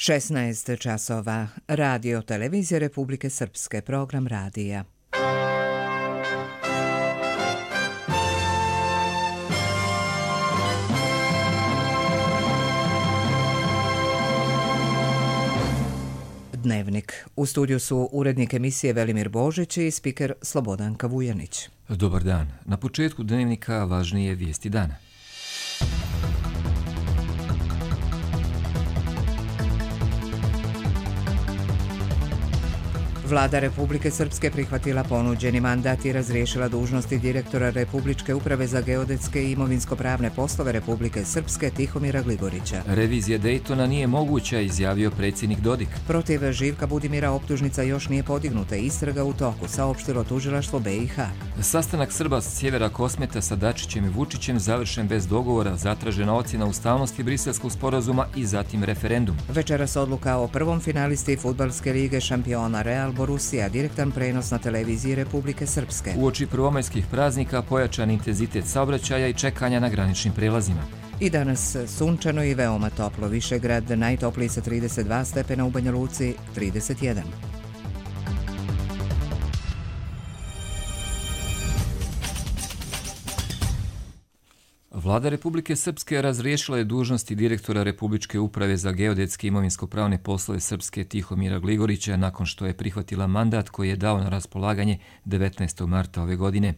16 časova. Radio Televizije Republike Srpske. Program radija. Dnevnik. U studiju su urednik emisije Velimir Božić i spiker Slobodanka Vujanić. Dobar dan. Na početku dnevnika važnije vijesti dana. Vlada Republike Srpske prihvatila ponuđeni mandat i razriješila dužnosti direktora Republičke uprave za geodetske i imovinsko-pravne poslove Republike Srpske Tihomira Gligorića. Revizija Dejtona nije moguća, izjavio predsjednik Dodik. Protiv Živka Budimira optužnica još nije podignuta, istraga u toku, saopštilo tužilaštvo BiH. Sastanak Srba s sjevera Kosmeta sa Dačićem i Vučićem završen bez dogovora, zatražena ocjena ustavnosti Briselskog sporazuma i zatim referendum. Večeras odluka o prvom finalisti Fudbalske lige šampiona Real Borussia, direktan prenos na televiziji Republike Srpske. Uoči prvomajskih praznika pojačan intenzitet saobraćaja i čekanja na graničnim prelazima. I danas sunčano i veoma toplo. Višegrad najtopliji sa 32 stepena, u Banja Luci 31. Vlada Republike Srpske razriješila je dužnosti direktora Republičke uprave za geodetske i imovinsko-pravne poslove Srpske Tihomira Gligorića nakon što je prihvatila mandat koji je dao na raspolaganje 19. marta ove godine.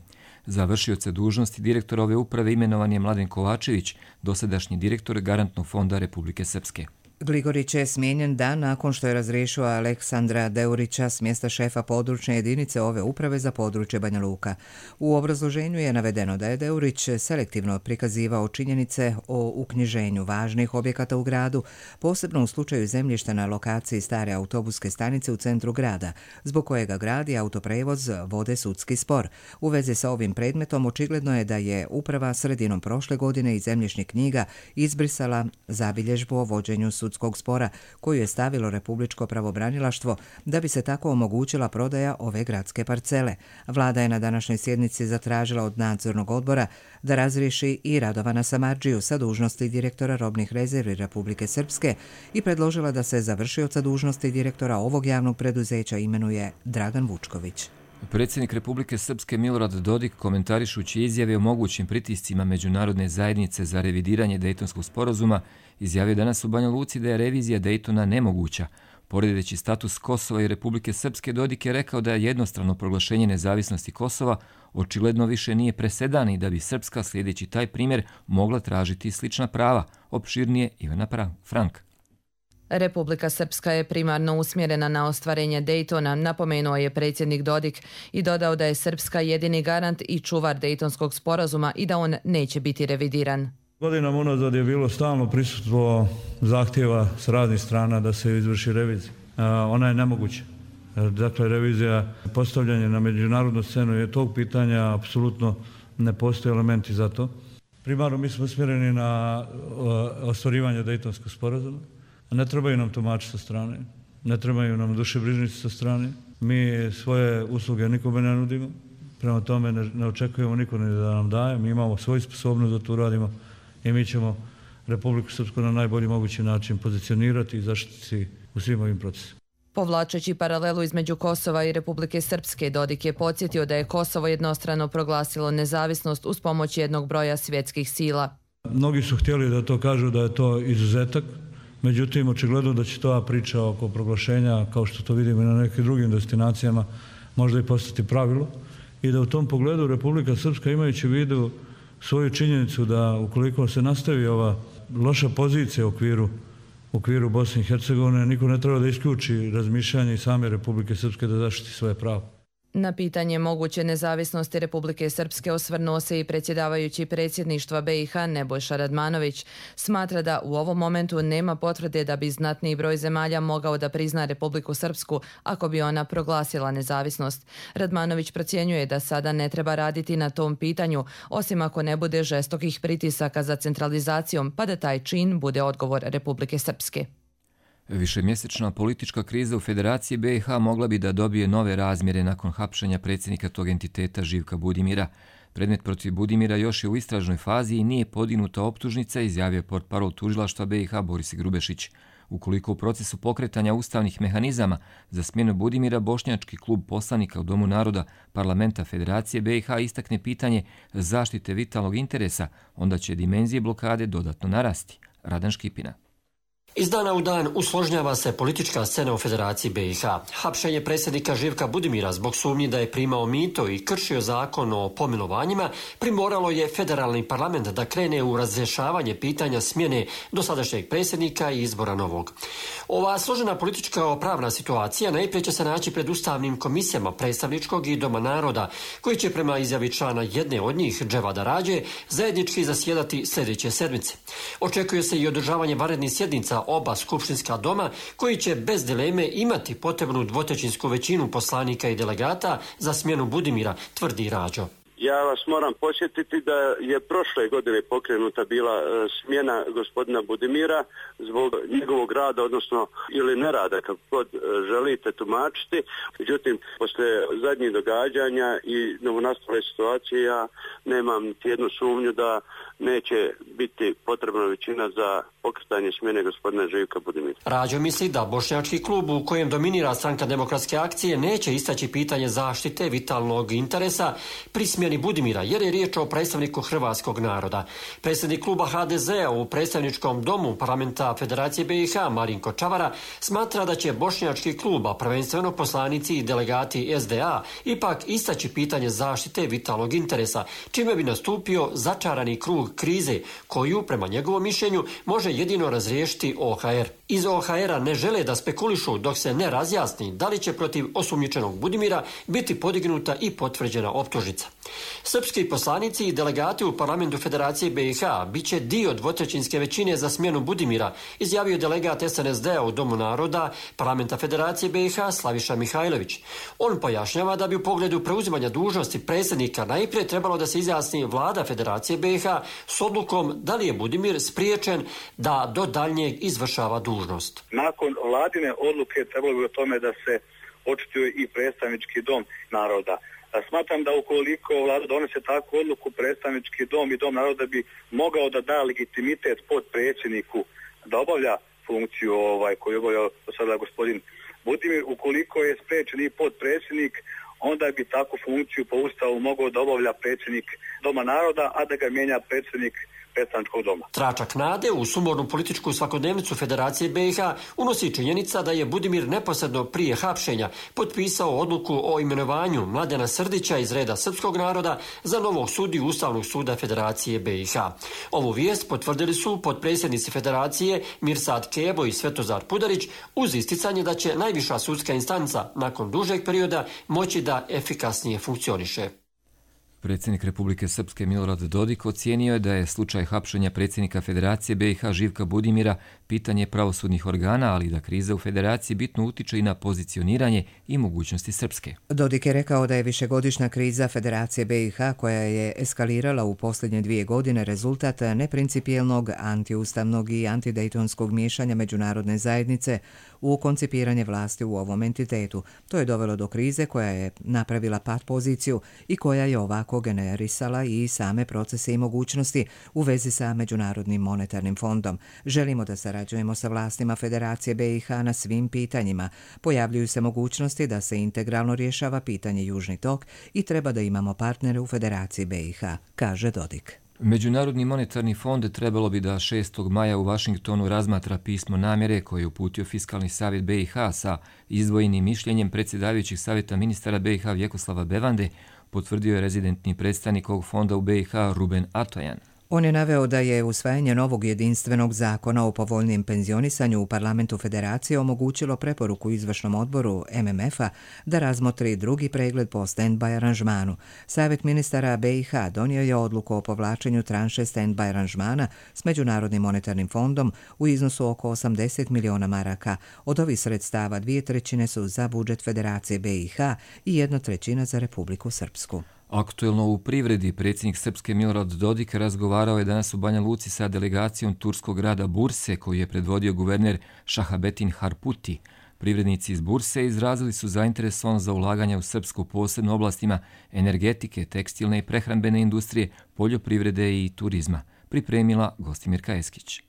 Za vršioce dužnosti direktora ove uprave imenovan je Mladen Kovačević, dosadašnji direktor Garantnog fonda Republike Srpske. Gligorić je smijenjen dan nakon što je razriješio Aleksandra Deurića s mjesta šefa područne jedinice ove uprave za područje Banja Luka. U obrazloženju je navedeno da je Deurić selektivno prikazivao činjenice o uknjiženju važnih objekata u gradu, posebno u slučaju zemljišta na lokaciji stare autobuske stanice u centru grada, zbog kojega grad i autoprevoz vode sudski spor. U vezi sa ovim predmetom očigledno je da je uprava sredinom prošle godine iz zemljišnih knjiga izbrisala zabilježbu o vođenju sudskog spora koju je stavilo Republičko pravobranilaštvo da bi se tako omogućila prodaja ove gradske parcele. Vlada je na današnjoj sjednici zatražila od nadzornog odbora da razriješi i Radovana Samardžiju sa dužnosti direktora robnih rezervi Republike Srpske i predložila da se za vršioca dužnosti direktora ovog javnog preduzeća imenuje Dragan Vučković. Predsjednik Republike Srpske Milorad Dodik, komentarišući izjave o mogućim pritiscima međunarodne zajednice za revidiranje Dejtonskog sporazuma, izjavio danas u Banja Luci da je revizija Dejtona nemoguća. Poredeći status Kosova i Republike Srpske, Dodik je rekao da je jednostrano proglašenje nezavisnosti Kosova očigledno više nije presedan i da bi Srpska, slijedeći taj primjer, mogla tražiti slična prava. Opširnije Ivana Frank. Republika Srpska je primarno usmjerena na ostvarenje Dejtona, napomenuo je predsjednik Dodik i dodao da je Srpska jedini garant i čuvar Dejtonskog sporazuma i da on neće biti revidiran. Godinama unazad je bilo stalno prisustvo zahtjeva s raznih strana da se izvrši revizija. Ona je nemoguća. Dakle, revizija postavljanja na međunarodnu scenu je tog pitanja, apsolutno ne postoje elementi za to. Primarno mi smo usmjereni na ostvarivanje Dejtonskog sporazuma. Ne trebaju nam tumači sa strane, ne trebaju nam dušebrižnici sa strane. Mi svoje usluge nikome ne nudimo, prema tome ne očekujemo niko ni da nam daje. Mi imamo svoju sposobnost da to uradimo i mi ćemo Republiku Srpsku na najbolji mogući način pozicionirati i zaštiti u svim ovim procesima. Povlačeći paralelu između Kosova i Republike Srpske, Dodik je podsjetio da je Kosovo jednostrano proglasilo nezavisnost uz pomoć jednog broja svjetskih sila. Mnogi su htjeli da to kažu da je to izuzetak. Međutim, očigledno da će ta priča oko proglašenja, kao što to vidimo i na nekim drugim destinacijama, možda i postati pravilo i da u tom pogledu Republika Srpska, imajući u vidu svoju činjenicu da ukoliko se nastavi ova loša pozicija u okviru Bosne i Hercegovine, niko ne treba da isključi razmišljanje i same Republike Srpske da zaštiti svoje pravo. Na pitanje moguće nezavisnosti Republike Srpske osvrnuo se i predsjedavajući predsjedništva BiH Nebojša Radmanović. Smatra da u ovom momentu nema potvrde da bi znatniji broj zemalja mogao da prizna Republiku Srpsku ako bi ona proglasila nezavisnost. Radmanović procjenjuje da sada ne treba raditi na tom pitanju, osim ako ne bude žestokih pritisaka za centralizacijom, pa da taj čin bude odgovor Republike Srpske. Višemjesečna politička kriza u Federaciji BiH mogla bi da dobije nove razmjere nakon hapšenja predsjednika tog entiteta Živka Budimira. Predmet protiv Budimira još je u istražnoj fazi i nije podignuta optužnica, izjavio portparol tužilaštva BiH Boris Grubešić. Ukoliko u procesu pokretanja ustavnih mehanizama za smjenu Budimira Bošnjački klub poslanika u Domu naroda Parlamenta Federacije BiH istakne pitanje zaštite vitalnog interesa, onda će dimenzije blokade dodatno narasti. Radan Škipina. Iz dana u dan usložnjava se politička scena u Federaciji BiH. Hapšenje predsjednika Živka Budimira zbog sumnji da je primao mito i kršio zakon o pomilovanjima primoralo je federalni parlament da krene u razrješavanje pitanja smjene dosadašnjeg predsjednika i izbora novog. Ova složena politička pravna situacija najprije će se naći pred ustavnim komisijama predstavničkog i Doma naroda, koji će prema izjavi člana jedne od njih, Dževada Rađe, zajednički zasjedati sljedeće sedmice. Očekuje se i održavanje vanrednih sjednica oba skupštinska doma, koji će bez dileme imati potrebnu dvotrećinsku većinu poslanika i delegata za smjenu Budimira, tvrdi Rađo. Ja vas moram podsjetiti da je prošle godine pokrenuta bila smjena gospodina Budimira zbog njegovog rada, odnosno ili nerada, kako god želite tumačiti. Međutim, poslije zadnjih događanja i novonastale situacije ja nemam niti jednu sumnju da neće biti potrebna većina za pokretanje smjene gospodina Živka Budimira. Rađo misli da Bošnjački klub u kojem dominira Stranka demokratske akcije neće istaći pitanje zaštite vitalnog interesa pri smjeni Budimira, jer je riječ o predstavniku hrvatskog naroda. Predsjednik kluba HDZ-a u predstavničkom domu Parlamenta Federacije BiH Marinko Čavara smatra da će Bošnjački klub, a prvenstveno poslanici i delegati SDA, ipak istaći pitanje zaštite vitalnog interesa, čime bi nastupio začarani krug krize koju, prema njegovom mišljenju, može jedino razriješiti OHR. Iz OHR-a ne žele da spekulišu dok se ne razjasni da li će protiv osumnjičenog Budimira biti podignuta i potvrđena optužnica. Srpski poslanici i delegati u Parlamentu Federacije BiH bit će dio dvotrećinske većine za smjenu Budimira, izjavio delegat SNSD-a u Domu naroda Parlamenta Federacije BiH Slaviša Mihajlović. On pojašnjava da bi u pogledu preuzimanja dužnosti predsjednika najprije trebalo da se izjasni vlada Federacije BiH s odlukom da li je Budimir spriječen da do daljnjeg izvršava dužnost. Nakon vladine odluke trebalo bi o tome da se očituje i predstavnički dom naroda. Smatram da ukoliko vlada donese takvu odluku, predstavnički dom i Dom naroda bi mogao da da legitimitet potpredsjedniku da obavlja funkciju koju obavlja sada gospodin Budimir. Ukoliko je spriječen i potpredsjednik, onda bi takvu funkciju po Ustavu mogao da obavlja predsjednik Doma naroda, a da ga mijenja predsjednik predstavničkog doma. Tračak nade u sumornu političku svakodnevnicu Federacije BiH unosi činjenica da je Budimir neposredno prije hapšenja potpisao odluku o imenovanju Mladena Srdića iz reda srpskog naroda za novog sudiju Ustavnog suda Federacije BiH. Ovu vijest potvrdili su potpredsjednici Federacije Mirsad Kebo i Svetozar Pudarić uz isticanje da će najviša sudska instanca nakon dužeg perioda moći da efikasnije funkcioniše. Predsjednik Republike Srpske Milorad Dodik ocijenio je da je slučaj hapšenja predsjednika Federacije BiH Živka Budimira pitanje pravosudnih organa, ali da kriza u Federaciji bitno utiče i na pozicioniranje i mogućnosti Srpske. Dodik je rekao da je višegodišnja kriza Federacije BiH, koja je eskalirala u posljednje 2 godine, rezultat neprincipijelnog, antiustavnog i antidejtonskog miješanja međunarodne zajednice u koncipiranje vlasti u ovom entitetu. To je dovelo do krize koja je napravila pat poziciju i koja je ovako generisala i same procese i mogućnosti u vezi sa Međunarodnim monetarnim fondom. Želimo da sarađujemo sa vlastima Federacije BiH na svim pitanjima. Pojavljuju se mogućnosti da se integralno rješava pitanje Južni tok i treba da imamo partnere u Federaciji BiH, kaže Dodik. Međunarodni monetarni fond trebalo bi da 6. maja u Vašingtonu razmatra pismo namjere koje je uputio Fiskalni savjet BiH sa izdvojenim mišljenjem predsjedavajućih savjeta ministara BiH Vjekoslava Bevande, potvrdio je rezidentni predstavnik ovog fonda u BiH Ruben Atojan. On je naveo da je usvajanje novog jedinstvenog zakona o povoljnijem penzionisanju u Parlamentu Federacije omogućilo preporuku izvršnom odboru MMF-a da razmotri drugi pregled po stand-by aranžmanu. Savjet ministara BiH donio je odluku o povlačenju tranše stand-by aranžmana s Međunarodnim monetarnim fondom u iznosu oko 80 miliona maraka. Od ovih sredstava 2/3 su za budžet Federacije BiH i 1/3 za Republiku Srpsku. Aktuelno u privredi predsjednik Srpske Milorad Dodik razgovarao je danas u Banja Luci sa delegacijom turskog grada Burse koju je predvodio guverner Šahabetin Harputi. Privrednici iz Burse izrazili su zainteresovanost za ulaganje u Srpsku, posebno oblastima energetike, tekstilne i prehrambene industrije, poljoprivrede i turizma, pripremila Gostimirka Eskić.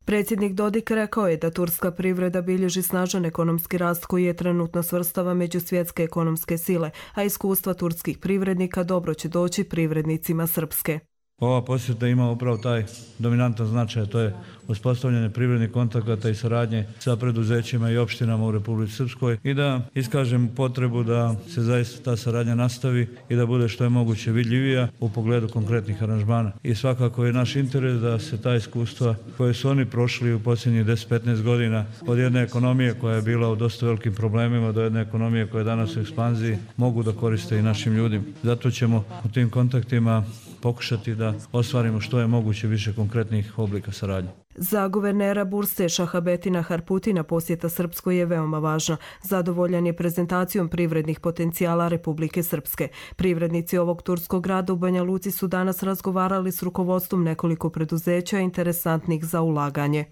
Predsjednik Dodik rekao je da turska privreda bilježi snažan ekonomski rast koji je trenutno svrstava među svjetske ekonomske sile, a iskustva turskih privrednika dobro će doći privrednicima Srpske. Ova posjeta ima upravo taj dominantan značaj, to je uspostavljanje privrednih kontakata i saradnje sa preduzećima i opštinama u Republici Srpskoj i da iskažem potrebu da se zaista ta saradnja nastavi i da bude što je moguće vidljivija u pogledu konkretnih aranžmana. I svakako je naš interes da se ta iskustva koje su oni prošli u posljednjih 10-15 godina od jedne ekonomije koja je bila u dosta velikim problemima do jedne ekonomije koja je danas u ekspanziji mogu da koriste i našim ljudima. Zato ćemo u tim kontaktima pokušati da ostvarimo što je moguće više konkretnih oblika saradnje. Za guvernera Burse Šahabetina Harputina posjeta Srpskoj je veoma važna. Zadovoljan je prezentacijom privrednih potencijala Republike Srpske. Privrednici ovog turskog grada u Banja Luci su danas razgovarali s rukovodstvom nekoliko preduzeća interesantnih za ulaganje.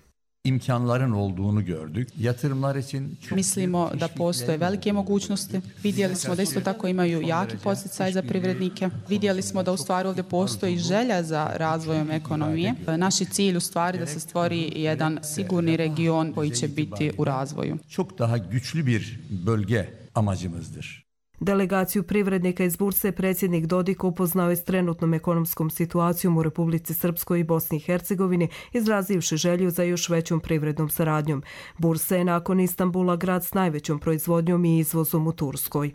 imkanların olduğunu gördük. Yatırımlar için Mislimo da postoje velike mogućnosti. Vidjeli smo da isto tako imaju jaki podsticaj za privrednike. Vidjeli smo da u stvari ovdje postoji želja za razvojom ekonomije. Naš je cilj u stvari da se stvori jedan sigurni region koji će biti u razvoju. Çok daha güçlü bir bölge amacımızdır. Delegaciju privrednika iz Burse predsjednik Dodik upoznao je s trenutnom ekonomskom situacijom u Republici Srpskoj i Bosni i Hercegovini, izrazivši želju za još većom privrednom saradnjom. Bursa je nakon Istanbula grad s najvećom proizvodnjom i izvozom u Turskoj.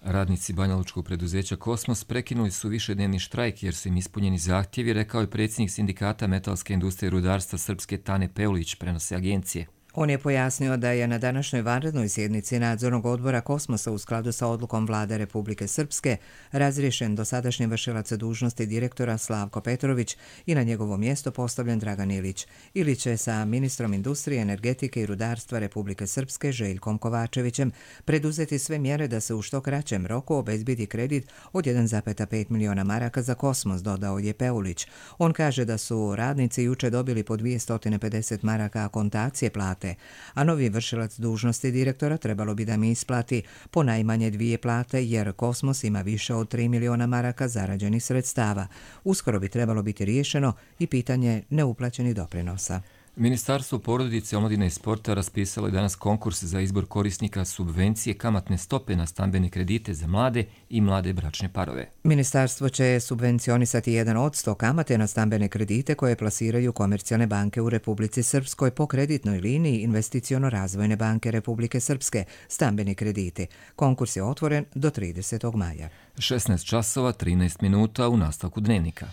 Radnici banjalučkog preduzeća Kosmos prekinuli su višednevni štrajk jer su im ispunjeni zahtjevi, rekao je predsjednik sindikata metalske industrije i rudarstva Srpske Tane Peulić, prenose agencije. On je pojasnio da je na današnjoj vanrednoj sjednici nadzornog odbora Kosmosa u skladu sa odlukom Vlade Republike Srpske razriješen dosadašnji vršilac dužnosti direktora Slavko Petrović i na njegovo mjesto postavljen Dragan Ilić. Ilić je sa ministrom industrije, energetike i rudarstva Republike Srpske Željkom Kovačevićem preduzeti sve mjere da se u što kraćem roku obezbedi kredit od 1,5 miliona maraka za Kosmos, dodao je Peulić. On kaže da su radnici juče dobili po 250 maraka akontacije plate, a novi vršilac dužnosti direktora trebalo bi da mi isplati po najmanje 2 plate jer Kosmos ima više od 3 miliona maraka zarađenih sredstava. Uskoro bi trebalo biti riješeno i pitanje neuplaćenih doprinosa. Ministarstvo porodice, omladine i sporta raspisalo je danas konkurs za izbor korisnika subvencije kamatne stope na stambene kredite za mlade i mlade bračne parove. Ministarstvo će subvencionisati 1% kamate na stambene kredite koje plasiraju komercijalne banke u Republici Srpskoj po kreditnoj liniji Investiciono-razvojne banke Republike Srpske, stambeni krediti. Konkurs je otvoren do 30. maja. 16 časova, 13 minuta u nastavku dnevnika.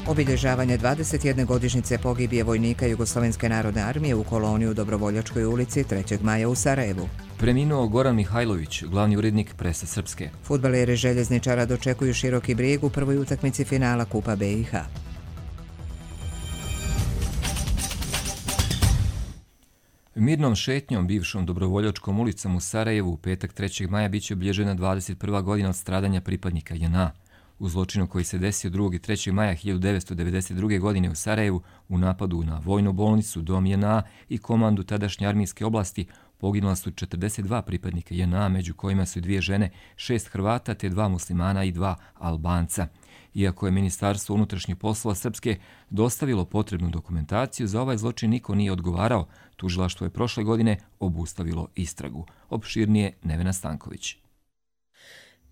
Obilježavanje 21. godišnjice pogibije vojnika Jugoslovenske narodne armije u koloniji u Dobrovoljačkoj ulici 3. maja u Sarajevu. Preminuo Goran Mihajlović, glavni urednik Presa Srpske. Fudbaleri Željezničara dočekuju Široki Brijeg u prvoj utakmici finala Kupa BiH. Mirnom šetnjom bivšom Dobrovoljačkom ulicom u Sarajevu u petak 3. maja biće obilježena 21. godina od stradanja pripadnika JNA. U zločinu koji se desio 2. i 3. maja 1992. godine u Sarajevu u napadu na vojnu bolnicu, dom JNA i komandu tadašnje armijske oblasti poginula su 42 pripadnika JNA, među kojima su 2 žene, 6 Hrvata te 2 muslimana i 2 Albanca. Iako je Ministarstvo unutrašnjih poslova Srpske dostavilo potrebnu dokumentaciju, za ovaj zločin niko nije odgovarao. Tužilaštvo je prošle godine obustavilo istragu. Opširnije Nevena Stanković.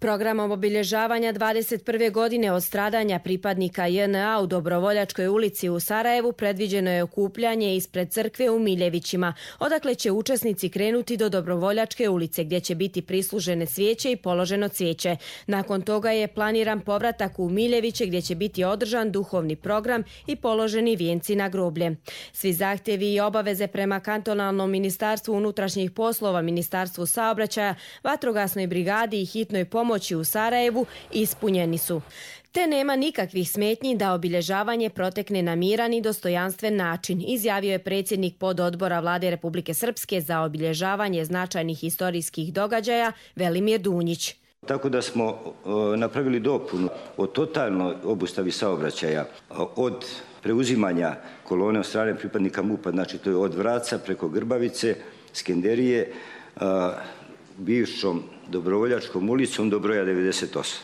Programom obilježavanja 21. godine od stradanja pripadnika JNA u Dobrovoljačkoj ulici u Sarajevu predviđeno je okupljanje ispred crkve u Miljevićima, odakle će učesnici krenuti do Dobrovoljačke ulice gdje će biti prislužene svijeće i položeno cvijeće. Nakon toga je planiran povratak u Miljeviće gdje će biti održan duhovni program i položeni vijenci na groblje. Svi zahtjevi i obaveze prema kantonalnom ministarstvu unutrašnjih poslova, ministarstvu saobraćaja, vatrogasnoj brigadi i hitnoj pomoći u Sarajevu ispunjeni su. Te nema nikakvih smetnji da obilježavanje protekne na miran i dostojanstven način, izjavio je predsjednik pododbora Vlade Republike Srpske za obilježavanje značajnih historijskih događaja Velimir Dunjić. Tako da smo napravili dopunu o totalnoj obustavi saobraćaja od preuzimanja kolone od strane pripadnika MUP-a, znači to je od Vraca preko Grbavice, Skenderije, bivšom Dobrovoljačkom ulicom do broja 98.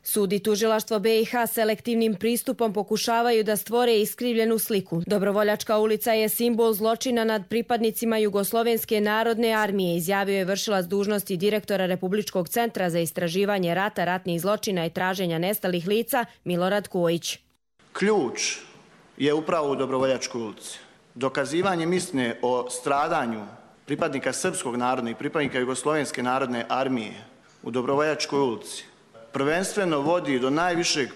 Sud i tužilaštvo BiH selektivnim pristupom pokušavaju da stvore iskrivljenu sliku. Dobrovoljačka ulica je simbol zločina nad pripadnicima Jugoslovenske narodne armije, izjavio je vršilac dužnosti direktora Republičkog centra za istraživanje rata, ratnih zločina i traženja nestalih lica Milorad Kojić. Ključ je upravo u Dobrovoljačkoj ulici. Dokazivanjem istine o stradanju pripadnika Srpskog naroda i pripadnika Jugoslovenske narodne armije u Dobrovoljačkoj ulici prvenstveno vodi do najvišeg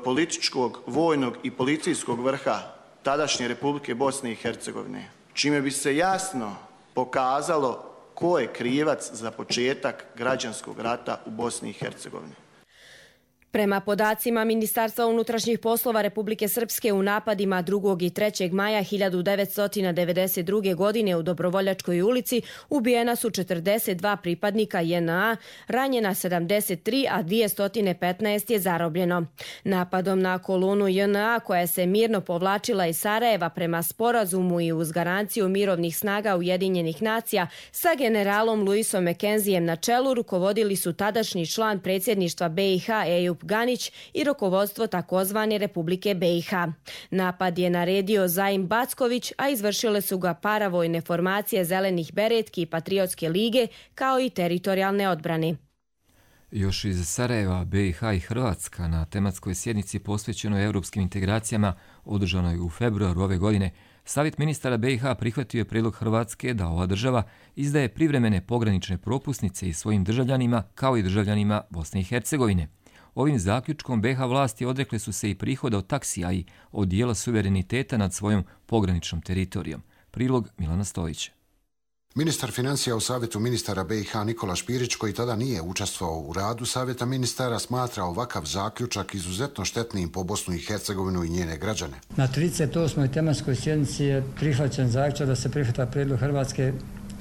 političkog, vojnog i policijskog vrha tadašnje Republike Bosne i Hercegovine, čime bi se jasno pokazalo ko je krivac za početak građanskog rata u Bosni i Hercegovini. Prema podacima Ministarstva unutrašnjih poslova Republike Srpske, u napadima 2. i 3. maja 1992. godine u Dobrovoljačkoj ulici ubijena su 42 pripadnika JNA, ranjena 73, a 215 je zarobljeno. Napadom na kolonu JNA, koja se mirno povlačila iz Sarajeva prema sporazumu i uz garanciju mirovnih snaga Ujedinjenih nacija, sa generalom Luisom Mekenzijem na čelu rukovodili su tadašnji član predsjedništva BiH Ejup Ganić i rukovodstvo takozvane Republike BiH. Napad je naredio Zaim Backović, a izvršile su ga paravojne formacije Zelenih beretki i Patriotske lige, kao i teritorijalne odbrane. Još iz Sarajeva, BiH i Hrvatska na tematskoj sjednici posvećenoj europskim integracijama održanoj u februaru ove godine, Savjet ministara BiH prihvatio je prijedlog Hrvatske da ova država izdaje privremene pogranične propusnice i svojim državljanima kao i državljanima Bosne i Hercegovine. Ovim zaključkom BiH vlasti odrekle su se i prihoda od taksija i od dijela suvereniteta nad svojom pograničnom teritorijom. Prilog Milana Stojića. Ministar financija u Savjetu ministara BiH Nikola Špirić, koji tada nije učestvovao u radu Savjeta ministara, smatra ovakav zaključak izuzetno štetnim po Bosnu i Hercegovinu i njene građane. Na 38. tematskoj sjednici je prihvaćen zaključak da se prihvata prijedlog Hrvatske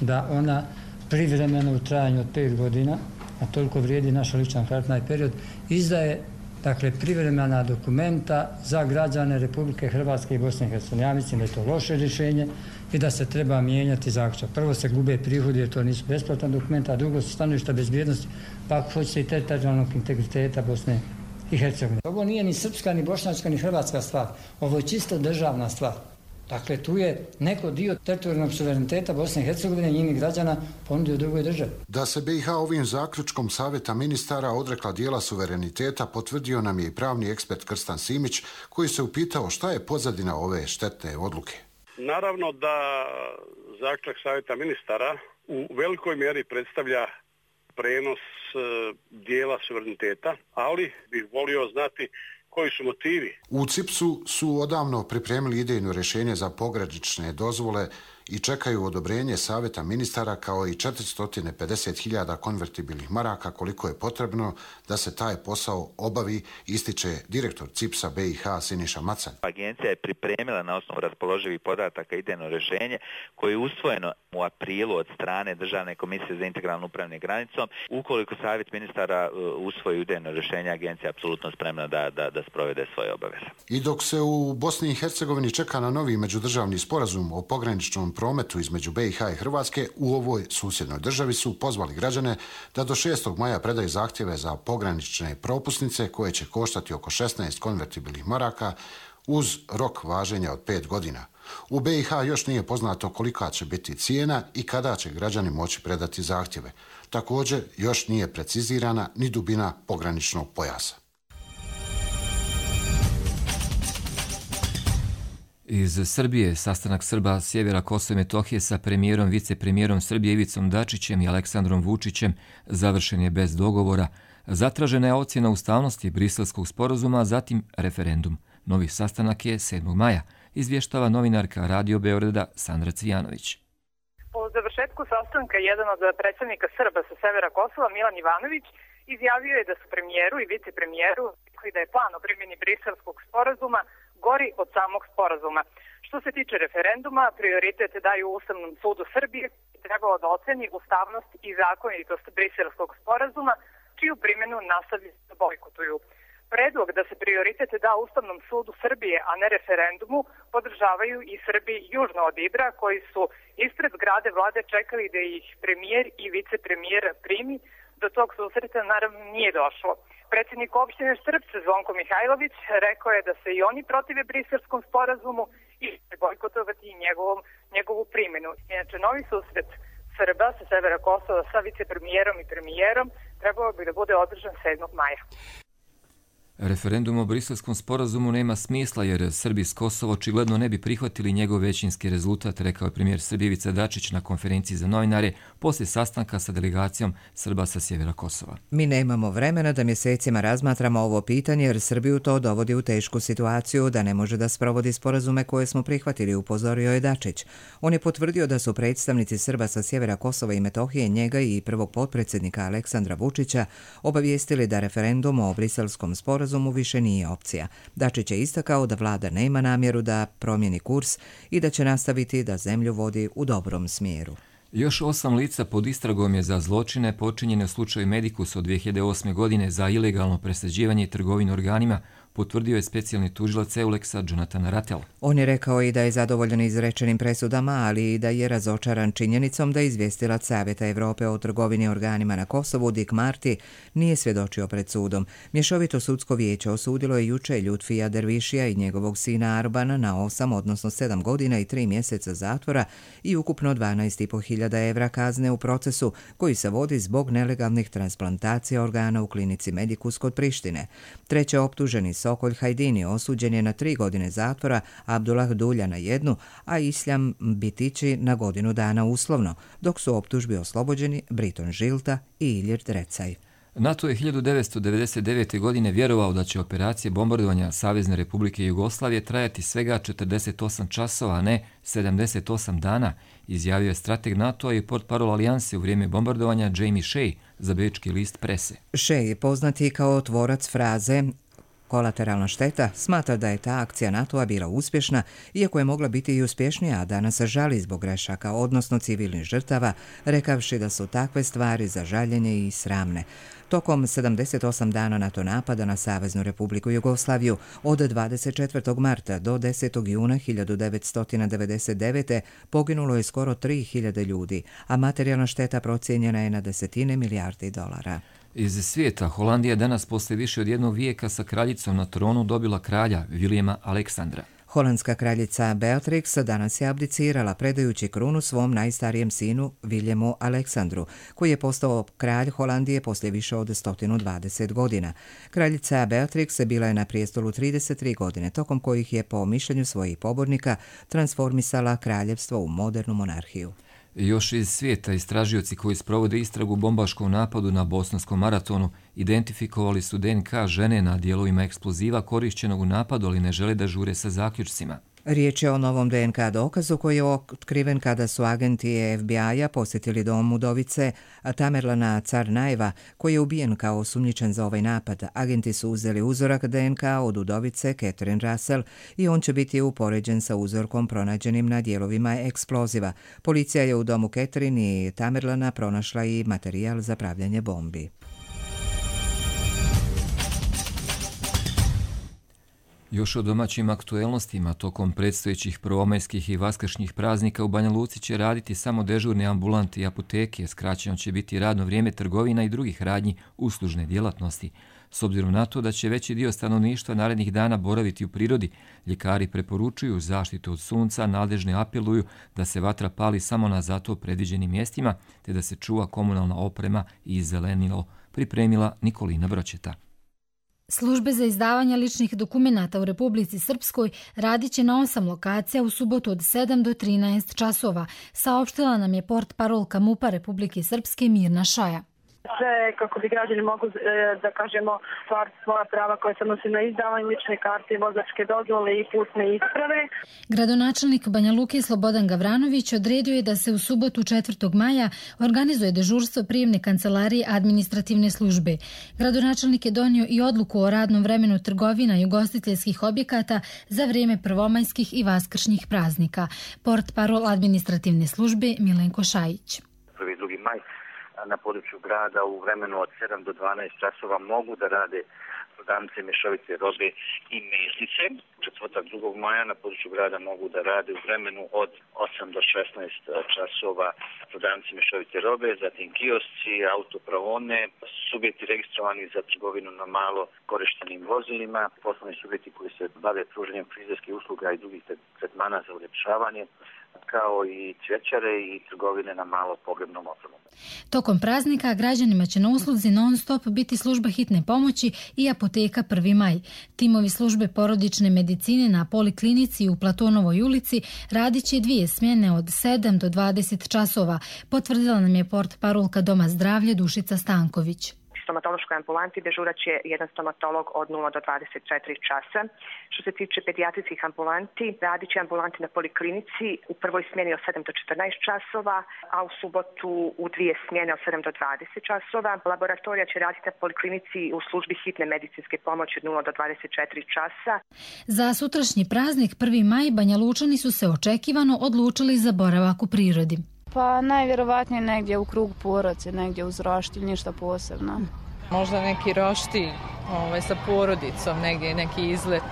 da ona privremeno u trajanju od 5 godina, a toliko vrijedi naša lična kartna period, izdaje privremena dokumenta za građane Republike Hrvatske i Bosne i Hercegovine. Ja mislim da je to loše rješenje i da se treba mijenjati zaključak. Prvo se gube prihodi jer to nisu besplatan dokumenta, a drugo su stanovišta bezbjednosti, pa ako hoćete i teritorijalnog integriteta Bosne i Hercegovine. Ovo nije ni srpska, ni bošnjačka, ni hrvatska stvar. Ovo je čisto državna stvar. Dakle, tu je neko dio teritorijalnog suvereniteta Bosne i Hercegovine i njenih građana ponudio drugoj državi. Da se BiH ovim zaključkom Savjeta ministara odrekla dijela suvereniteta potvrdio nam je i pravni ekspert Krstan Simić, koji se upitao šta je pozadina ove štetne odluke. Naravno da zaključak Savjeta ministara u velikoj mjeri predstavlja prenos dijela suvereniteta, ali bih volio znati koji su motivi. U CIPS-u su odavno pripremili idejno rješenje za pogranične dozvole i čekaju odobrenje Savjeta ministara kao i 450.000 konvertibilnih maraka koliko je potrebno da se taj posao obavi, ističe direktor CIPS-a BiH Siniša Macan. Agencija je pripremila na osnovu raspoloživih podataka idejno rješenje koje je usvojeno u aprilu od strane Državne komisije za integralno upravljanje granicom. Ukoliko Savjet ministara usvoji idejno rješenje, agencija je apsolutno spremna da sprovede svoje obaveze. I dok se u Bosni i Hercegovini čeka na novi međudržavni sporazum o pograničnom prometu između BiH i Hrvatske, u ovoj susjednoj državi su pozvali građane da do 6. maja predaju zahtjeve za pogranične propusnice koje će koštati oko 16 konvertibilnih maraka uz rok važenja od 5 godina. U BiH još nije poznato kolika će biti cijena i kada će građani moći predati zahtjeve. Također još nije precizirana ni dubina pograničnog pojasa. Iz Srbije sastanak Srba sjevera Kosova i Metohije sa premijerom, vicepremijerom Srbije Ivicom Dačićem i Aleksandrom Vučićem završen je bez dogovora. Zatražena je ocjena ustavnosti Briselskog sporazuma, zatim referendum. Novi sastanak je 7. maja, izvještava novinarka Radio Beograda Sandra Cvijanović. Po završetku sastanka jedan od predstavnika Srba sa severa Kosova, Milan Ivanović, izjavio je da su premijeru i vicepremijeru i da je plan o primjeni Briselskog sporazuma gori od samog sporazuma. Što se tiče referenduma, prioritet daju Ustavnom sudu Srbije i trebalo da oceni ustavnost i zakonitost Briselskog sporazuma, čiju primjenu nastavljaju da bojkotuju. Predlog da se prioritet da Ustavnom sudu Srbije, a ne referendumu, podržavaju i Srbi južno od Ibra, koji su ispred zgrade vlade čekali da ih premijer i vicepremijer primi. Do tog susreta naravno nije došlo. Predsjednik opštine Štrpce Zvonko Mihajlović rekao je da se i oni protive Briselskom sporazumu i bojkotovati njegovu primjenu. Inače, novi susret Srba sa severa Kosova sa vicepremijerom i premijerom trebao bi da bude održan 7. maja. Referendum o Briselskom sporazumu nema smisla jer Srbi s Kosova očigledno ne bi prihvatili njegov većinski rezultat, rekao je premijer Srbije Ivica Dačić na konferenciji za novinare poslije sastanka sa delegacijom Srba sa sjevera Kosova. Mi nemamo vremena da mjesecima razmatramo ovo pitanje jer Srbiju to dovodi u tešku situaciju da ne može da sprovodi sporazume koje smo prihvatili, upozorio je Dačić. On je potvrdio da su predstavnici Srba sa sjevera Kosova i Metohije njega i prvog potpredsjednika Aleksandra Vučića obavijestili da referendum o Briselskom sporazumu više nije opcija. Dačić je istakao da vlada nema namjeru da promijeni kurs i da će nastaviti da zemlju vodi u dobrom smjeru. Još 8 lica pod istragom je za zločine počinjene u slučaju Medicus od 2008. godine za ilegalno presađivanje i trgovinu organima, potvrdio je specijalni tužilac Euleksa Jonathan Rattel. On je rekao i da je zadovoljan izrečenim presudama, ali i da je razočaran činjenicom da izvjestilac Savjeta Evrope o trgovini organima na Kosovu Dick Marty nije svjedočio pred sudom. Mješovito sudsko vijeće osudilo je juče Ljutfija Dervišija i njegovog sina Arbana na 8, odnosno 7 godina i 3 mjeseca zatvora i ukupno 12.500 evra kazne u procesu koji se vodi zbog nelegalnih transplantacija organa u klinici Medicus kod Prištine. Treće optuženi Sokolj Hajdini osuđen je na 3 godine zatvora, Abdullah Dulja na 1, a Islam Bitići na godinu dana uslovno, dok su optužbi oslobođeni Briton Žilta i Ilir Drecaj. NATO je 1999. godine vjerovao da će operacije bombardovanja Savezne Republike Jugoslavije trajati svega 48 časova, a ne 78 dana, izjavio je strateg NATO-a i portparol alijanse u vrijeme bombardovanja Jamie Shea za bečki list prese. Shea je poznati kao tvorac fraze kolateralna šteta, smatra da je ta akcija NATO-a bila uspješna, iako je mogla biti i uspješnija, a danas se žali zbog grešaka, odnosno civilnih žrtava, rekavši da su takve stvari za žaljenje i sramne. Tokom 78 dana NATO napada na Saveznu Republiku Jugoslaviju od 24. marta do 10. juna 1999. poginulo je skoro 3000 ljudi, a materijalna šteta procijenjena je na desetine milijardi dolara. Iz svijeta, Holandija danas poslije više od 1 vijeka sa kraljicom na tronu dobila kralja Vilijema Aleksandra. Holandska kraljica Beatrix danas je abdicirala predajući krunu svom najstarijem sinu Viljemu Aleksandru, koji je postao kralj Holandije poslije više od 120 godina. Kraljica Beatrix bila je na prijestolu 33 godine, tokom kojih je po mišljenju svojih pobornika transformisala kraljevstvo u modernu monarhiju. Još iz svijeta istražioci koji sprovode istragu bombaškom napadu na bosanskom maratonu identifikovali su DNK žene na dijelovima eksploziva korišćenog u napadu, ali ne žele da žure sa zaključcima. Riječ je o novom DNK dokazu koji je otkriven kada su agenti FBI-a posjetili dom udovice Tamerlana Carnajeva, koji je ubijen kao osumnjičen za ovaj napad. Agenti su uzeli uzorak DNK od udovice Catherine Russell i on će biti upoređen sa uzorkom pronađenim na dijelovima eksploziva. Policija je u domu Catherine i Tamerlana pronašla i materijal za pravljanje bombi. Još o domaćim aktuelnostima, tokom predstojećih prvomajskih i vaskršnjih praznika u Banja Luci će raditi samo dežurne ambulante i apoteke, skraćeno će biti radno vrijeme trgovina i drugih radnji uslužne djelatnosti. S obzirom na to da će veći dio stanovništva narednih dana boraviti u prirodi, ljekari preporučuju zaštitu od sunca, nadležne apeluju da se vatra pali samo na zato predviđenim mjestima, te da se čuva komunalna oprema i zelenilo, pripremila Nikolina Bročeta. Službe za izdavanje ličnih dokumenata u Republici Srpskoj radit će na 8 lokacija u subotu od 7 do 13 časova, saopštila nam je portparolka MUP-a Republike Srpske Mirna Šaja. Sve kako bi građani mogu, da kažemo, stvar svoja prava koje se odnosi na izdavanje lične karte, vozačke dozvole i putne isprave. Gradonačelnik Banja Luke Slobodan Gavranović odredio je da se u subotu 4. maja organizuje dežurstvo prijemne kancelarije administrativne službe. Gradonačelnik je donio i odluku o radnom vremenu trgovina i ugostiteljskih objekata za vrijeme prvomajskih i vaskršnjih praznika. Portparol administrativne službe Milenko Šajić. 1. 2. maj na području grada u vremenu od 7 do 12 časova mogu da rade prodavnice mješovite robe i mesnice. Četvrtak 2. maja na području grada mogu da rade u vremenu od 8 do 16 časova prodavnice mješovite robe, zatim kiosci, autopravone, subjekti registrovani za trgovinu na malo korištenim vozilima, poslovni subjekti koji se bave pružanjem frizerskih usluga i drugih tretmana za uljepšavanje, kao i cvjećare i trgovine na malo pogrebnom opremom. Tokom praznika građanima će na usluzi non-stop biti služba hitne pomoći i apoteka 1. maj. Timovi službe porodične medicine na Poliklinici u Platonovoj ulici radit će 2 smjene od 7 do 20 časova, potvrdila nam je portparolka Doma zdravlja Dušica Stanković. Stomatološkoj ambulanti dežurat će jedan stomatolog od 0 do 24 časa. Što se tiče pedijatrijskih ambulanti, radit će ambulanti na Poliklinici u prvoj smjeni od 7 do 14 časova, a u subotu u 2 smjene od 7 do 20 časova. Laboratorija će raditi na Poliklinici u službi hitne medicinske pomoći od 0 do 24 časa. Za sutrašnji praznik 1. maj Banjalučani su se očekivano odlučili za boravak u prirodi. Pa najvjerovatnije negdje u krug porodice, negdje uz roštilj, ništa posebno. Možda neki roštilj sa porodicom, negdje neki izlet.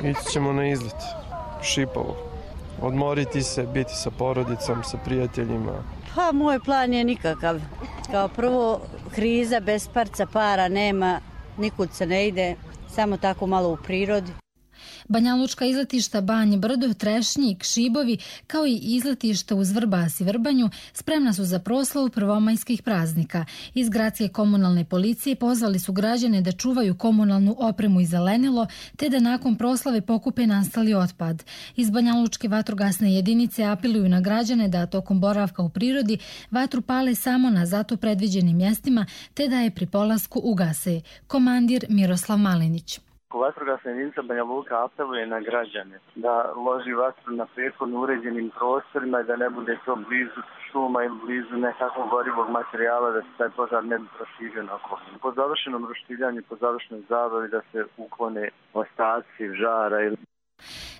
Ići ćemo na izlet, Šipovo. Odmoriti se, biti sa porodicom, sa prijateljima. Pa moj plan je nikakav. Kao prvo, kriza, bez para nema, nikud se ne ide, samo tako malo u prirodi. Banjalučka izletišta Banje Brdo, Trešnjik, Šibovi, kao i izletišta uz Vrbas i Vrbanju spremna su za proslavu prvomajskih praznika. Iz gradske komunalne policije pozvali su građane da čuvaju komunalnu opremu i zelenilo, te da nakon proslave pokupe nastali otpad. Iz Banjalučke vatrogasne jedinice apeluju na građane da tokom boravka u prirodi vatru pale samo na zato predviđenim mjestima, te da je pri polasku ugase. Komandir Miroslav Malinić. Vatrogasna jedinica Banja Luka apeluje na građane da loži vatru na prethodno uređenim prostorima i da ne bude to blizu šuma ili blizu nekakvog gorivog materijala, da se taj požar ne bi proširio na okolinu. Po završenom roštiljanju, po završenoj zabavi da se uklone ostaci žara ili...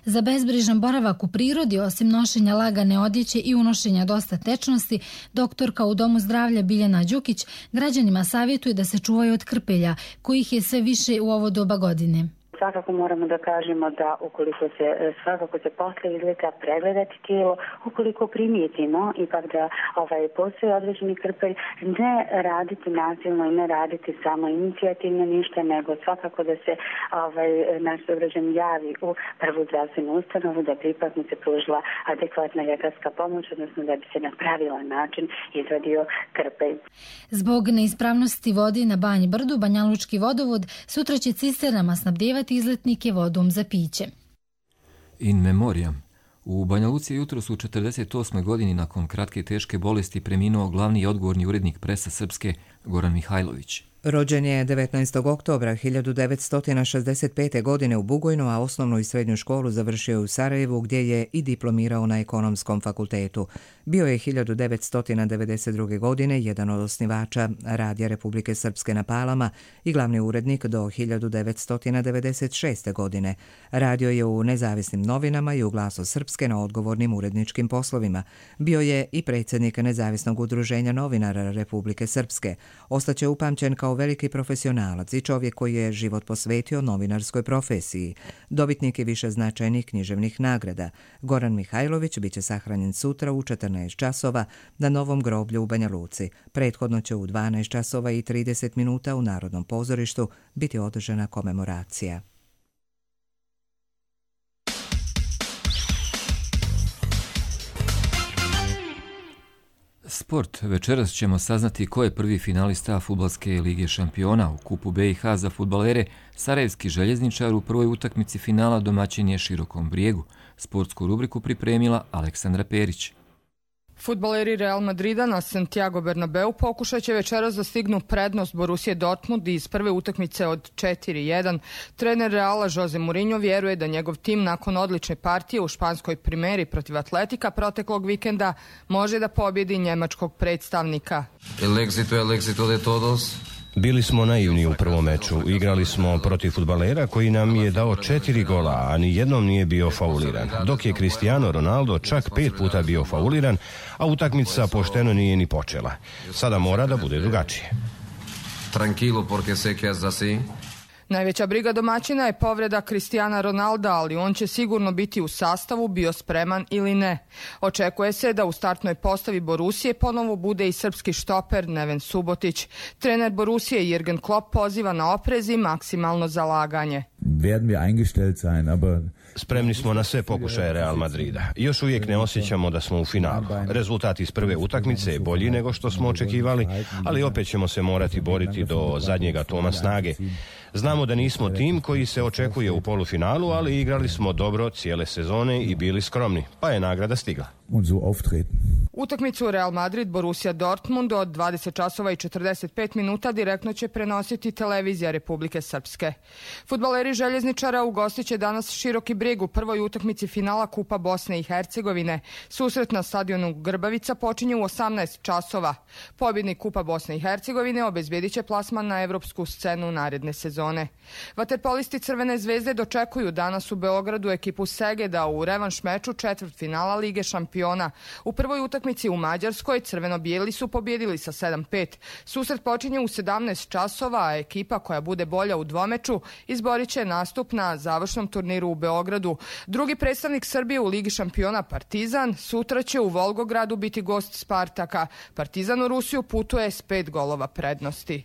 Za bezbrižan boravak u prirodi, osim nošenja lagane odjeće i unošenja dosta tečnosti, doktorka u Domu zdravlja Biljana Đukić građanima savjetuje da se čuvaju od krpelja, kojih je sve više u ovo doba godine. Svakako moramo da kažemo da ukoliko se svakako se posle izleta pregledati tijelo, ukoliko primijetimo ipak da postoji određeni krpelj, ne raditi nasilno i ne raditi samo inicijativno ništa, nego svakako da se naš sugrađan javi u prvu zdravstvenu ustanovu da bi ipak mu se pružila adekvatna ljekarska pomoć, odnosno da bi se na pravilan način izvadio krpelj. Zbog neispravnosti vode na Banji Brdu, Banjalučki vodovod sutra će cisternama snabdijevati izletnike vodom za piće. In memoriam. U Banja Luci jutros u 48. godini nakon kratke teške bolesti preminuo glavni i odgovorni urednik Presa Srpske Goran Mihajlović. Rođen je 19. oktobra 1965. godine u Bugojnu, a osnovnu i srednju školu završio u Sarajevu, gdje je i diplomirao na Ekonomskom fakultetu. Bio je 1992. godine jedan od osnivača Radija Republike Srpske na Palama i glavni urednik do 1996. godine. Radio je u nezavisnim novinama i u Glasu Srpske na odgovornim uredničkim poslovima. Bio je i predsjednik Nezavisnog udruženja novinara Republike Srpske. Ostaće upamćen kao veliki profesionalac i čovjek koji je život posvetio novinarskoj profesiji. Dobitnik je više značajnih književnih nagrada. Goran Mihajlović biće sahranjen sutra u 14 časova na Novom groblju u Banja Luci. Prethodno će u 12 časova i 30 minuta u Narodnom pozorištu biti održana komemoracija. Sport. Večeras ćemo saznati ko je prvi finalista Fudbalske lige šampiona. U kupu BiH za fudbalere Sarajevski željezničar u prvoj utakmici finala domaćin je Širokom Brijegu. Sportsku rubriku pripremila Aleksandra Perić. Fudbaleri Real Madrida na Santiago Bernabeu pokušat će večeras da stignu prednost Borussia Dortmund iz prve utakmice od 4-1. Trener Reala Jose Mourinho vjeruje da njegov tim nakon odlične partije u španskoj primeri protiv Atletika proteklog vikenda može da pobjedi njemačkog predstavnika. El éxito de todos Bili smo naivni u prvom meču. Igrali smo protiv fudbalera koji nam je dao 4 gola, a ni jednom nije bio fauliran. Dok je Cristiano Ronaldo čak 5 puta bio fauliran, a utakmica pošteno nije ni počela. Sada mora da bude drugačije. Tranquilo, porque sé que es así. Najveća briga domaćina je povreda Cristiana Ronalda, ali on će sigurno biti u sastavu, bio spreman ili ne. Očekuje se da u startnoj postavi Borusije ponovo bude i srpski štoper Neven Subotić. Trener Borusije Jürgen Klopp poziva na oprez i maksimalno zalaganje. Spremni smo na sve pokušaje Real Madrida. Još uvijek ne osjećamo da smo u finalu. Rezultat iz prve utakmice je bolji nego što smo očekivali, ali opet ćemo se morati boriti do zadnjeg atoma snage. Znamo da nismo tim koji se očekuje u polufinalu, ali igrali smo dobro cijele sezone i bili skromni, pa je nagrada stigla. Utakmicu Real Madrid Borussia Dortmund od 20 časova i 45 minuta direktno će prenositi televizija Republike Srpske. Fudbaleri Željezničara ugostit će danas Široki Brijeg u prvoj utakmici finala Kupa Bosne i Hercegovine. Susret na stadionu Grbavica počinje u 18 časova. Pobjednik Kupa Bosne i Hercegovine obezbjedit će plasman na evropsku scenu naredne sezone. Vaterpolisti Crvene zvezde dočekuju danas u Beogradu ekipu Segeda u revanš meču četvrtfinala Lige šampiona. U prvoj utakmici u Mađarskoj crveno-bijeli su pobjedili sa 7-5. Susret počinje u 17 časova, a ekipa koja bude bolja u dvomeču izborit će nastup na završnom turniru u Beogradu. Drugi predstavnik Srbije u Ligi šampiona Partizan sutra će u Volgogradu biti gost Spartaka. Partizan u Rusiju putuje s 5 golova prednosti.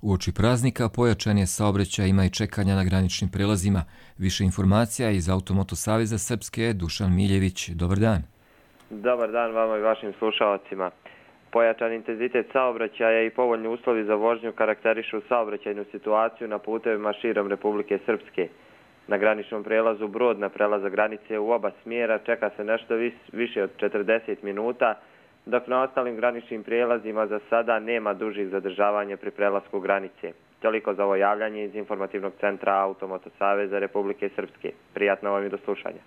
Uoči praznika pojačan je saobraćaj, ima i čekanja na graničnim prelazima. Više informacija iz Automoto Saveza Srpske, Dušan Miljević. Dobar dan. Dobar dan vama i vašim slušalcima. Pojačan intenzitet saobraćaja i povoljni uslovi za vožnju karakterišu saobraćajnu situaciju na putevima širom Republike Srpske. Na graničnom prelazu Brod na prelaza granice u oba smjera čeka se nešto više od 40 minuta, dok na ostalim graničnim prijelazima za sada nema dužih zadržavanja pri prelasku granice. Toliko za ovo javljanje iz informativnog centra Automoto Saveza Republike Srpske. Prijatno vam i do slušanja.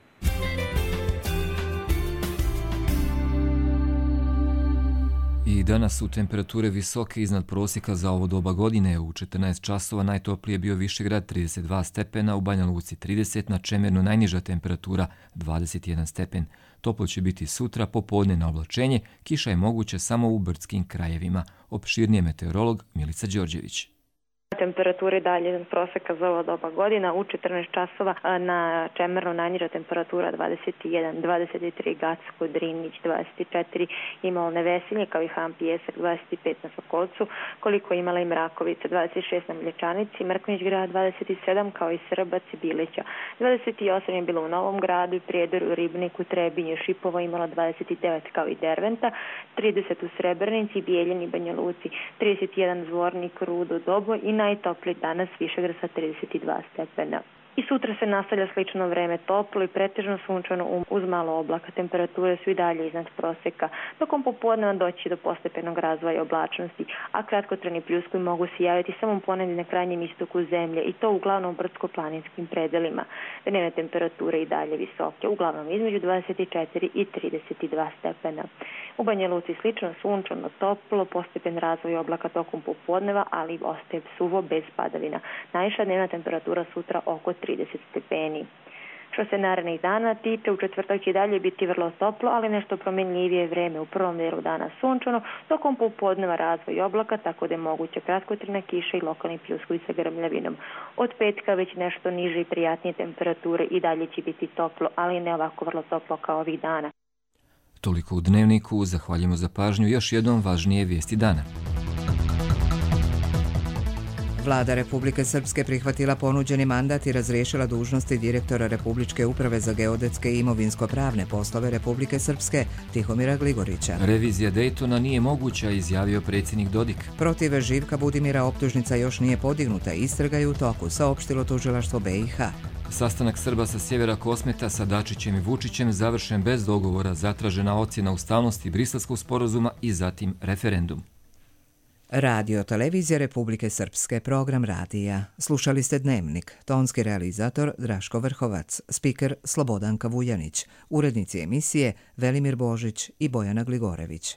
I danas su temperature visoke iznad prosjeka za ovo doba godine. U 14 časova najtoplije je bio Višegrad 32 stepena, u Banja Luci 30, na Čemernu najniža temperatura 21 stepen. Toplo će biti sutra, popodne na oblačenje, kiša je moguća samo u brdskim krajevima. Opširnije meteorolog Milica Đorđević. Temperature dalje iznad proseka za ovo doba godina. U 14 časova na Čemernu najniža temperatura 21, 23 Gacko, Drinić 24, Imolne Vesinje kao i Han Pijesak 25 na Sokolcu, koliko imala i Mrakovica 26 na Mlječanici, Mrkonjić grad 27 kao i Srbac i Bilića. 28 je bilo u Novom gradu i Prijedoru, Ribniku, Trebinju, Šipovo imala 29 kao i Derventa, 30 u Srebrenici, Bijeljini, Banja Luci, 31 Zvornik, Rudo, Dobo i najtopliji danas Višegrad sa 32 stepena. I sutra se nastavlja slično vreme, toplo i pretežno sunčano uz malo oblaka. Temperature su i dalje iznad prosjeka. Tokom popodneva doći do postepenog razvoja oblačnosti, a kratkotrajni pljuskovi mogu se javiti samo ponegdje na krajnjem istoku zemlje i to uglavnom u brdsko-planinskim predelima. Dnevne temperature i dalje visoke, uglavnom između 24 i 32 stepena. U Banja Luci slično sunčano, toplo, postepen razvoj oblaka tokom popodneva, ali ostaje suvo bez padavina. Najviša dnevna temperatura sutra oko 30 stepeni. Što se narednih dana tiče, u četvrtak će dalje biti vrlo toplo, ali nešto promjenljivije vreme. U prvom dijelu dana sunčano, tokom popodneva razvoj oblaka, tako da je moguće kratkotrajna kiša i lokalni pljuskovi sa grmljavinom. Od petka već nešto niže i prijatnije temperature i dalje će biti toplo, ali ne ovako vrlo toplo kao ovih dana. Toliko u Dnevniku, zahvaljujemo za pažnju. Još jednom važnije vijesti dana. Vlada Republike Srpske prihvatila ponuđeni mandat i razriješila dužnosti direktora Republičke uprave za geodetske i imovinsko-pravne poslove Republike Srpske Tihomira Gligorića. Revizija Dejtona nije moguća, izjavio predsjednik Dodik. Protiv Živka Budimira optužnica još nije podignuta, istraga je u toku, saopštilo tužilaštvo BiH. Sastanak Srba sa sjevera Kosmeta sa Dačićem i Vučićem završen bez dogovora, zatražena ocjena ustavnosti Briselskog sporazuma i zatim referendum. Radio Televizija Republike Srpske, program radija. Slušali ste Dnevnik, tonski realizator Draško Vrhovac, spiker Slobodanka Vujanić, urednici emisije Velimir Božić i Bojana Gligorević.